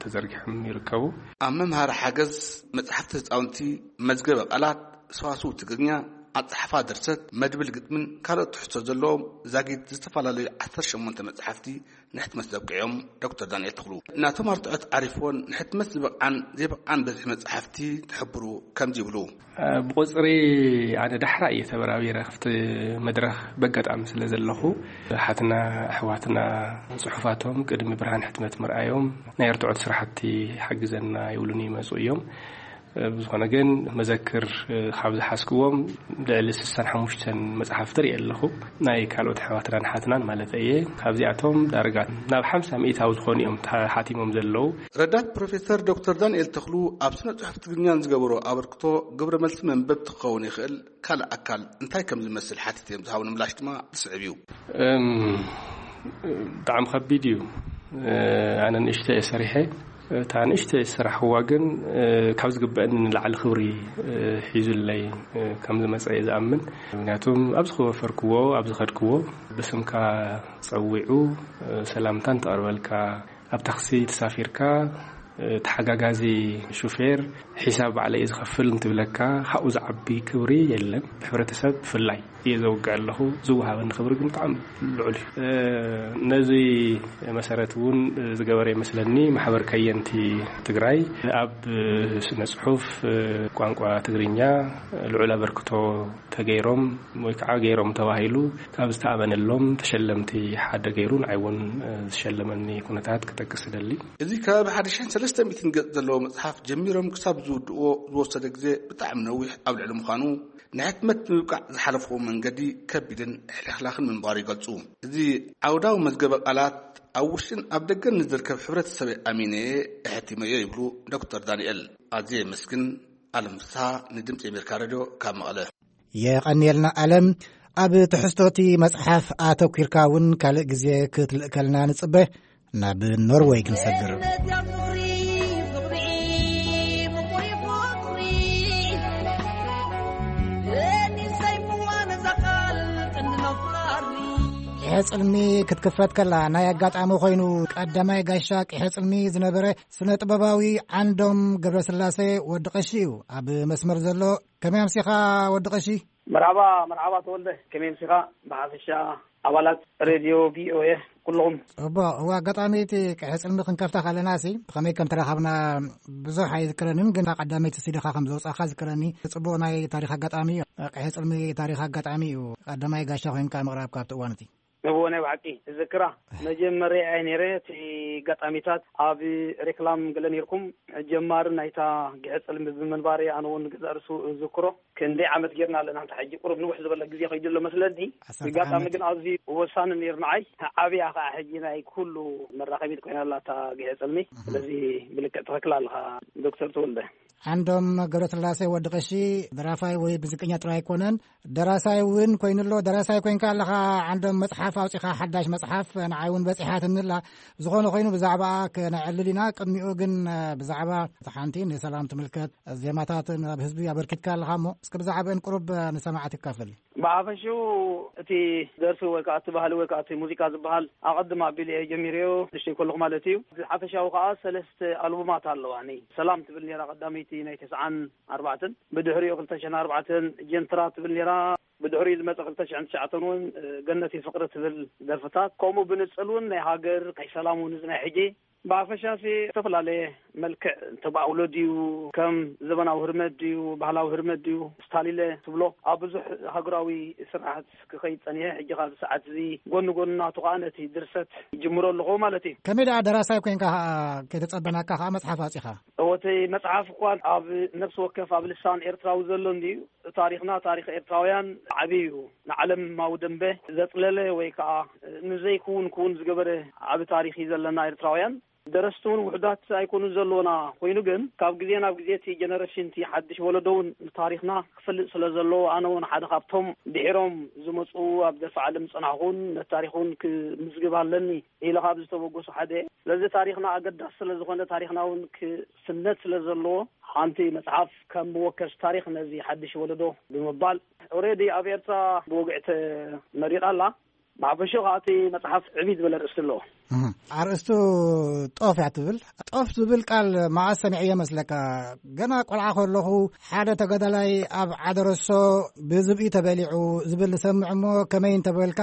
ተዘርጊሖም ይርከቡ። ኣብ መምሃሪ ሓገዝ፣ መጽሓፍቲ ህጻውንቲ፣ መዝገበ ቃላት፣ ሰዋስው ትግርኛ፣ ኣጻሓፋ ድርሰት፣ መድብል ግጥምን ካልኦት ትሕዝቶ ዘለዎም ዛጊድ ዝተፈላለዩ ዓሰርተ ሸሞንተ መጽሓፍቲ ንሕትመት ዘብቅዕዮም ዶክተር ዳንኤል ተኽሉ፣ ናቶም ኣርትዖት ዓሪፍዎን ንሕትመት ዝበቕዓን ዘይበቕዓን በዝሒ መጽሓፍቲ ክሕብሩ ከምዚ ይብሉ። ብቑጽሪ ኣነ ዳሕራ እየ ተበራቢረ፣ ክፍቲ መድረኽ በጋጣሚ ስለ ዘለኹ፣ ሓትና ኣሕዋትና ጽሑፋቶም ቅድሚ ብርሃን ሕትመት ምርኣዮም ናይ ኣርትዖት ስራሕቲ ሓግዘና ይብሉኒ ይመጹ እዮም። ብዝኾነ ግን መዘክር ካብ ዝሓዝክዎም ልዕሊ ስሳን ሓሙሽተን መጽሓፍቲ ርኢ ኣለኹ፣ ናይ ካልኦት ኣሕዋትናን ሓትናን ማለት እየ። ካብዚኣቶም ዳርጋ ናብ ሓምሳ ሚእታዊ ዝኾኑ እዮም ተሓቲሞም ዘለዉ። ረዳት ፕሮፌሰር ዶክተር ዳንኤል ተኽሉ ኣብ ስነ ጽሑፍ ትግርኛን ዝገበሮ ኣበርክቶ ግብረ መልሲ መንበብ ክኸውን ይኽእል። ካልእ ኣካል እንታይ ከም ዝመስል ሓቲተ እዮም ዝሃቡኒ ምላሽ ድማ ዝስዕብ እዩ። እም፣ ብጣዕሚ ከቢድ እዩ። እ፣ ኣነ ንእሽቶ እየ ሰሪሐ። እታ ንእሽቶ ዝሰራሕዋ ግን፣ እ፣ ካብ ዝግበአኒ ንላዕሊ ክብሪ፣ እ፣ ሒዙለይ፣ እ፣ ከም ዝመጸ እየ ዝኣምን። ምክንያቱም ኣብ ዝኸወፈርክዎ፣ ኣብ ዝኸድክዎ ብስምካ ጸዊዑ፣ እ፣ ሰላምታ እንተቕርበልካ፣ ኣብ ታክሲ ተሳፊርካ፣ እ፣ ተሓጋጋዚ ሹፌር ሒሳብ ባዕለይ እየ ዝኸፍል እንትብለካ፣ ካብኡ ዝዓቢ ክብሪ የለን። ብሕብረተሰብ ብፍላይ እየ ዘውግዕ ኣለኹ። ዝወሃበኒ ክብሪ ግን ብጣዕሚ ልዑል እዩ። እ፣ ነዚ መሰረት እውን ዝገበረ ይመስለኒ ማሕበር ከየንቲ ትግራይ ኣብ ስነ ጽሑፍ ቋንቋ ትግርኛ ልዑል ኣበርክቶ ተገይሮም ወይ ከዓ ገይሮም ተባሂሉ ካብ ዝተኣመነሎም ተሸለምቲ ሓደ ገይሩ ንዓይ እውን ዝሸለመኒ ኩነታት ክጠቅስ እደሊ። እዚ ከባቢ ሓደ ሽሕን ሰለስተ ሚእትን ገጽ ዘለዎ መጽሓፍ ጀሚሮም ክሳብ ዝውድእዎ ዝወሰደ ግዜ ብጣዕሚ ነዊሕ ኣብ ልዕሊ ምዃኑ፣ ንሕትመት ንምብቃዕ ዝሓለፍዎ መንገዲ ከቢድን ሕልኽላኽን ምንባሩ ይገልጹ። እዚ ዓውዳዊ መዝገበ ቃላት ኣብ ውሽጥን ኣብ ደገን ንዝርከብ ሕብረተሰበይ ኣሚነየ ኣሕቲመዮ ይብሉ ዶክተር ዳንኤል። ኣዝየ የመስግን። ኣለም ፍስሃ ንድምፂ ኣሜሪካ ሬድዮ ካብ መቐለ። የቐንየልና ኣለም። ኣብ ትሕዝቶቲ መጽሓፍ ኣተኲርካ እውን ካልእ ግዜ ክትልእከልና ንጽበ። ናብ ኖርወይ ክንሰግር። ሕጽልሚ ክትክፈት ከላ ናይ ኣጋጣሚ ኮይኑ ቀዳማይ ጋሻ ቂሐ ጽልሚ ዝነበረ ስነ ጥበባዊ ዓንዶም ገብረስላሴ ወዲ ቀሺ እዩ ኣብ መስመር ዘሎ። ከመይ ኣምሲኻ ወዲ ቀሺ? መርሓባ፣ መርሓባ ተወልደ፣ ከመይ ኣምሲኻ? ብሓፈሻ ኣባላት ሬድዮ ቪኦኤ ኩልኹም። እቦ፣ እዋ፣ ኣጋጣሚ እቲ ቅሕጽልሚ ክንከፍታ ከለና ሲ ብኸመይ ከም ተራኸብና ብዙሕ ኣይዝክረንን፣ ግን ቀዳመይቲ ሲዲኻ ከም ዘውጻእካ ዝክረኒ። ጽቡቕ ናይ ታሪኽ ኣጋጣሚ እዩ። ቅሕጽልሚ ታሪኽ ኣጋጣሚ እዩ። ቀዳማይ ጋሻ ኮይንካ ምቕራብ ካብቲ እዋን እቲ። እዎ፣ ናይ ብሓቂ እዝክራ። መጀመርያ እየ ነይረ። እቲ ኣጋጣሚታት ኣብ ሬክላም ገለ ነይርኩም። ጀማሪ ናይታ ግሕጽልሚ ብምንባረይ ኣነ እውን ገዛእ ርእሱ እዝክሮ። ክንደይ ዓመት ጌርና ኣለና? እንተ ሕጂ ቁሩብ ንውሕ ዝበለ ግዜ ከይዱ ኣሎ መስለኒ። ዓሰርተ ኣጋጣሚ ዓመት። ግን ኣዝዩ ወሳኒ ነይሩ ንዓይ። ዓብያ ኸዓ ሕጂ ናይ ኩሉ መራኸቢት ኮይና ኣላ እታ ግሕጽልሚ። እህ። ስለዚ ብልክዕ ትኽክል ኣለኻ ዶክተር ተወልደ። ዓንዶም ገብረስላሴ ወዲ ቀሺ ደራፋይ ወይ ሙዚቀኛ ጥራይ ኣይኮነን፣ ደራሳይ እውን ኮይኑ ኣሎ። ደራሳይ ኮይንካ ኣለኻ፣ ዓንዶም መጽሓፍ ኣውጺኻ፣ ሓዳሽ መጽሓፍ ንዓይ እውን በጺሓትኒ ኣላ። ዝኾነ ኮይኑ ብዛዕባኣ ከነዕልል ኢና። ቅድሚኡ ግን፣ እ፣ ብዛዕባ እታ ሓንቲ ንሰላም ትምልከት ዜማታት ናብ ህዝቢ ኣበርኪትካ ኣለኻ እሞ፣ እስከ ብዛዕባአን ቁሩብ ንሰማዕቲ ካፍል። ብሓፈሽኡ እቲ ደርፊ ወይ ከዓ እቲ ባህሊ ወይ ከዓ እቲ ሙዚቃ ዝበሃል ኣቐድም ኣቢሉ እየ ጀሚረዮ፣ ንእሽተይ ከለኹ ማለት እዩ። ሓፈሻዊ ከዓ ሰለስተ ኣልቡማት ኣለዋኒ። ሰላም ትብል ነይራ ቀዳመይቲ ናይ ተስዓን ኣርባዕተን፣ ብድሕሪኡ ክልተ ሽሕን ኣርባዕተን ጀንትራ ትብል ነይራ፣ ብድሕሪኡ ዝመፀ ክልተ ሽሕን ትሽዓተን እውን፣ እ፣ ገነቲ ፍቅሪ ትብል ደርፍታት፣ ከምኡ ብንፅል እውን ናይ ሃገር፣ ናይ ሰላም እውን እዚ ናይ ሕጂ ብሓፈሻ ሲ ዝተፈላለየ መልክዕ ተባዕውሎ ድዩ፣ ከም ዘበናዊ ህርመት ድዩ፣ ባህላዊ ህርመት ድዩ፣ ስታሊለ ትብሎ ኣብ ብዙሕ ሃገራዊ ስርሓት ክኸይድ ጸኒሐ። ሕጂ ካብ ሰዓት እዚ ጎኒ ጎኒ ናቱ ከኣ ነቲ ድርሰት ይጅምሮ ኣለኹ ማለት እዩ። ከመይ ደኣ ደራሳይ ኮይንካ ከኣ ከይተጸበናካ ከኣ መጽሓፍ ኣውጺኻ? እወ፣ እቲ መጽሓፍ እኳ ኣብ ነፍሲ ወከፍ ኣብ ልሳን ኤርትራዊ ዘሎ እንድዩ። ታሪኽና፣ ታሪኽ ኤርትራውያን ዓቢ እዩ። ንዓለማዊ ደንበ ዘጽለለ ወይ ከኣ ንዘይክውን ክውን ዝገበረ ዓቢ ታሪኽ እዩ ዘለና ኤርትራውያን። ደረስቲ እውን ውሑዳት ኣይኮኑን ዘለዉና። ኮይኑ ግን ካብ ግዜ ናብ ግዜ እቲ ጀነሬሽን፣ እቲ ሓድሽ ወለዶ እውን ንታሪኽና ክፈልጥ ስለ ዘለዎ፣ ኣነ እውን ሓደ ካብቶም ድሒሮም ዝመጹ ኣብ ደርፊ ዓለም ዝጸናሕኩን ነቲ ታሪኽ እውን ክምዝግብ ኣለኒ ኢለ ካብ ዝተበገሱ ሓደ እየ። ስለዚ ታሪኽና ኣገዳሲ ስለ ዝኾነ፣ ታሪኽና እውን ክስነድ ስለ ዘለዎ፣ ሓንቲ መጽሓፍ ከም መወከሲ ታሪኽ ነዚ ሓድሽ ወለዶ ብምባል፣ ኦሬዲ ኣብ ኤርትራ ብወግዒ ተመሪቓ ኣላ። ብሓፈሽኡ ከኣ እቲ መጽሓፍ ዕብይ ዝበለ ኣርእስቲ ኣለዎ። እህ፣ ኣርእስቱ ጦፍ እያ ትብል። ጦፍ ዝብል ቃል መዓስ ሰሚዐዮ መስለካ? ገና ቆልዓ ከለኹ ሓደ ተጋዳላይ ኣብ ዓደረሶ ብዝብኢ ተበሊዑ ዝብል ንሰምዕ እሞ፣ ከመይ እንተበልካ፣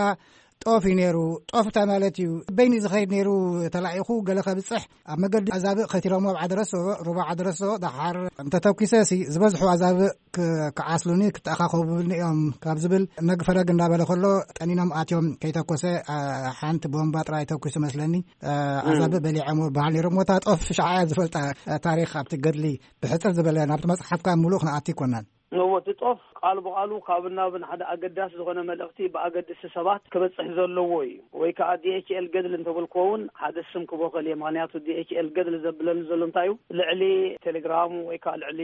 ጦፍ እዩ ነይሩ። ጦፍ እንታይ ማለት እዩ? በይኒ ዝኸይድ ነይሩ፣ ተላኢኹ ገለ ከብጽሕ ኣብ መገዲ ኣዛብእ ከቲሮሞ ኣብ ዓደረሶ፣ ሩባ ዓደረሶ፣ ደሓር እንተተኲሰ ሲ ዝበዝሑ ኣዛብእ ክ-፣ ክዓስሉኒ፣ ክተኣኻኸቡኒ እዮም ካብ ዝብል ነግ ፈረግ እንዳበለ ከሎ፣ ጠኒኖም ኣትዮም ከይተኮሰ፣ ኣ፣ ሓንቲ ቦምባ ጥራይ ተኩሱ መስለኒ፣ ኣ፣ እም። ኣዛብእ በሊዖም በሃል ነይሮም። ወታ ጦፍ ሻዓ እያ ዝፈልጣ፣ ኣ፣ ታሪኽ ኣብቲ ገድሊ ብሕጽር ዝበለ ናብቲ መጽሓፍካ ምሉእ ክንኣቱ ኣይኮናን። እዎ፣ እቲ ጦፍ ቃል ብቓሉ ካብ ናብ ንሓደ ኣገዳሲ ዝኾነ መልእኽቲ ብኣገደስቲ ሰባት ክበጽሕ ዘለዎ እዩ። ወይ ከኣ ዲ ኤች ኤል ገድሊ እንተበልክዎ እውን ሓደ ስም ክቦኸል እየ። ምኽንያቱ ዲ ኤች ኤል ገድሊ ዘብለኒ ዘሎ እንታይ እዩ? ልዕሊ ቴሌግራም ወይ ከኣ ልዕሊ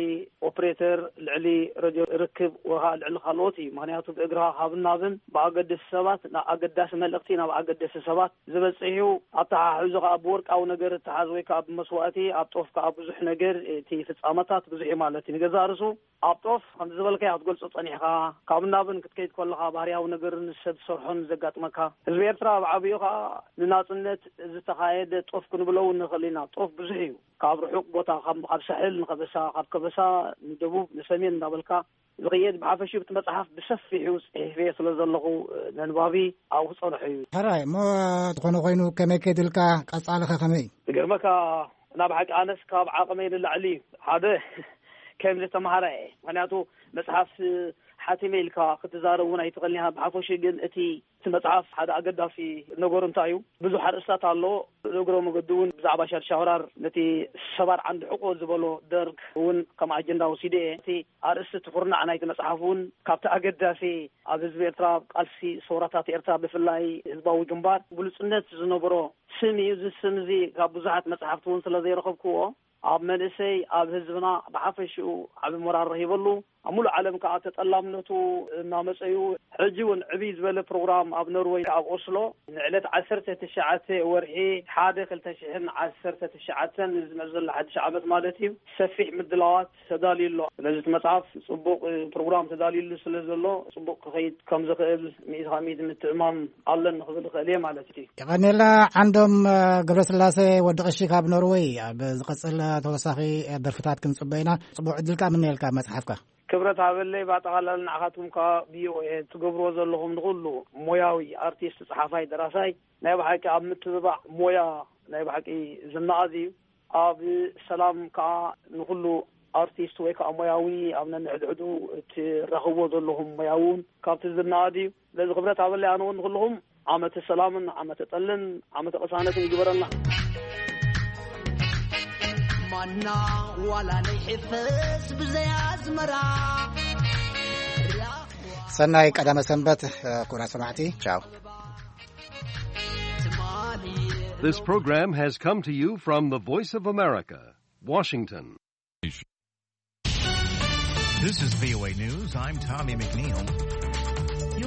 ኦፕሬተር፣ ልዕሊ ረድዮ ርክብ ወይ ከኣ ልዕሊ ካልኦት እዩ። ምኽንያቱ ብእግርኻ ካብ ናብን ብኣገደስቲ ሰባት፣ ናብ ኣገዳሲ መልእኽቲ ናብ ኣገደስቲ ሰባት ዝበጽሕ እዩ። ኣተሓሕዞ ከኣ ብወርቃዊ ነገር እተሓዝ ወይ ከኣ ብመስዋእቲ፣ ኣብ ጦፍ ከኣ ብዙሕ ነገር፣ እቲ ፍጻመታት ብዙሕ እዩ ማለት እዩ። ንገዛእ ርእሱ ኣብ ጦፍ ከምዚ ዝበልካዮ ክትገልጾ ጸኒሕካ፣ ካብ ናብን ክትከይድ ከለኻ ባህርያዊ ነገርን ሰብ ዝሰርሖን ዘጋጥመካ። ህዝቢ ኤርትራ ኣብ ዓቢኡ ከኣ ንናጽነት ዝተኻየደ ጦፍ ክንብሎ እውን ንኽእል ኢና። ጦፍ ብዙሕ እዩ። ካብ ርሑቕ ቦታ፣ ካብ፣ ካብ ሳሕል ንከበሳ፣ ካብ ከበሳ ንደቡብ ንሰሜን እንዳበልካ ዝኽየድ። ብሓፈሽኡ እቲ መጽሓፍ ብሰፊሑ ጽሒፈዮ ስለ ዘለኹ፣ ነንባቢ ኣብኡ ክጸንሖ እዩ። ሕራይ እሞ፣ ዝኾነ ኮይኑ ከመይ ከይድልካ፣ ቀጻልኸ ከመይ? ዝገርመካ፣ ናብ ሓቂ ኣነስ ካብ ዓቕመይ ንላዕሊ እዩ። ሓደ ከም ዝተምሃረ እየ። ምኽንያቱ መጽሓፍ ሓቲመ ኢልካ ክትዛረብ እውን ኣይትኽእልን ኢኻ። ብሓፈሽኡ ግን እቲ፣ እቲ መጽሓፍ ሓደ ኣገዳሲ ነገሩ እንታይ እዩ? ብዙሕ ኣርእስታት ኣሎ። እግረ መገዱ እውን ብዛዕባ ሻድሻይ ወራር ነቲ ሰባር ዓንዲ ሕቆ ዝበሎ ደርግ እውን ከም ኣጀንዳ ወሲደ እየ። እቲ ኣርእስቲ እቲ ኩርናዕ ናይቲ መጽሓፍ እውን ካብቲ ኣገዳሲ ኣብ ህዝቢ ኤርትራ፣ ኣብ ቃልሲ ሰውራታት ኤርትራ፣ ብፍላይ ህዝባዊ ግንባር ብሉጽነት ዝነበሮ ስም እዩ። እዚ ስም እዚ ካብ ብዙሓት መጽሓፍቲ እውን ስለ ዘይረኸብክዎ፣ ኣብ መንእሰይ፣ ኣብ ህዝብና ብሓፈሽኡ ዓቢ ሞራል ረኺበሉ። ኣብ ሙሉእ ዓለም ከዓ ተጠላምነቱ እናመፀዩ፣ ሕጂ እውን ዕብይ ዝበለ ፕሮግራም ኣብ ኖርወይ ኣብ ኦስሎ ንዕለት ዓሰርተ ትሽዓተ ወርሒ ሓደ ክልተ ሽሕን ዓሰርተ ትሽዓተን ዝመፅእ ዘሎ ሓድሽ ዓመት ማለት እዩ፣ ሰፊሕ ምድላዋት ተዳልዩ ኣሎ። ስለዚ እቲ መፅሓፍ ፅቡቅ ፕሮግራም ተዳልዩሉ ስለ ዘሎ፣ ፅቡቅ ክኸይድ ከም ዝኽእል ሚእቲ ካብ ሚእቲ ምትእማን ኣለኒ ክብል እኽእል እየ ማለት እዩ። የቐኔላ ዓንዶም ገብረስላሴ ወዲ ቀሺ ካብ ኖርወይ። ኣብ ዝቐጽል ተወሳኺ ደርፍታት ክንጽበ ኢና። ጽቡቕ ዕድል ከኣ ምነየልካ መጽሓፍካ። ክብረት ሃበለይ። ብኣጠቓላሊ ንዓኻትኩም ከኣ ቪኦኤ ትገብርዎ ዘለኹም ንኹሉ ሞያዊ ኣርቲስት፣ ጸሓፋይ፣ ደራሳይ ናይ ብሓቂ ኣብ ምትብባዕ ሞያ ናይ ብሓቂ ዝነኣድ እዩ። ኣብ ሰላም ከኣ ንኹሉ ኣርቲስት ወይ ከኣ ሞያዊ ኣብ ነንሕድሕዱ እትራኽብዎ ዘለኹም ሞያዊ እውን ካብቲ ዝነኣድ እዩ። ስለዚ ክብረት ሃበለይ፣ ኣነ እውን ንኹልኹም ዓመተ ሰላምን ዓመተ ጠልን ዓመተ ቅሳነትን ይግበረልና። ማና ዋላ ናይ ሕፈስ ብዘይ ኣዝመራ። ሰናይ ቀዳመ ሰንበት። ኩቡራት ሰማዕቲ፣ ቻው። This program has come to you from the Voice of America, Washington. This is V O A News. I'm Tommy McNeil.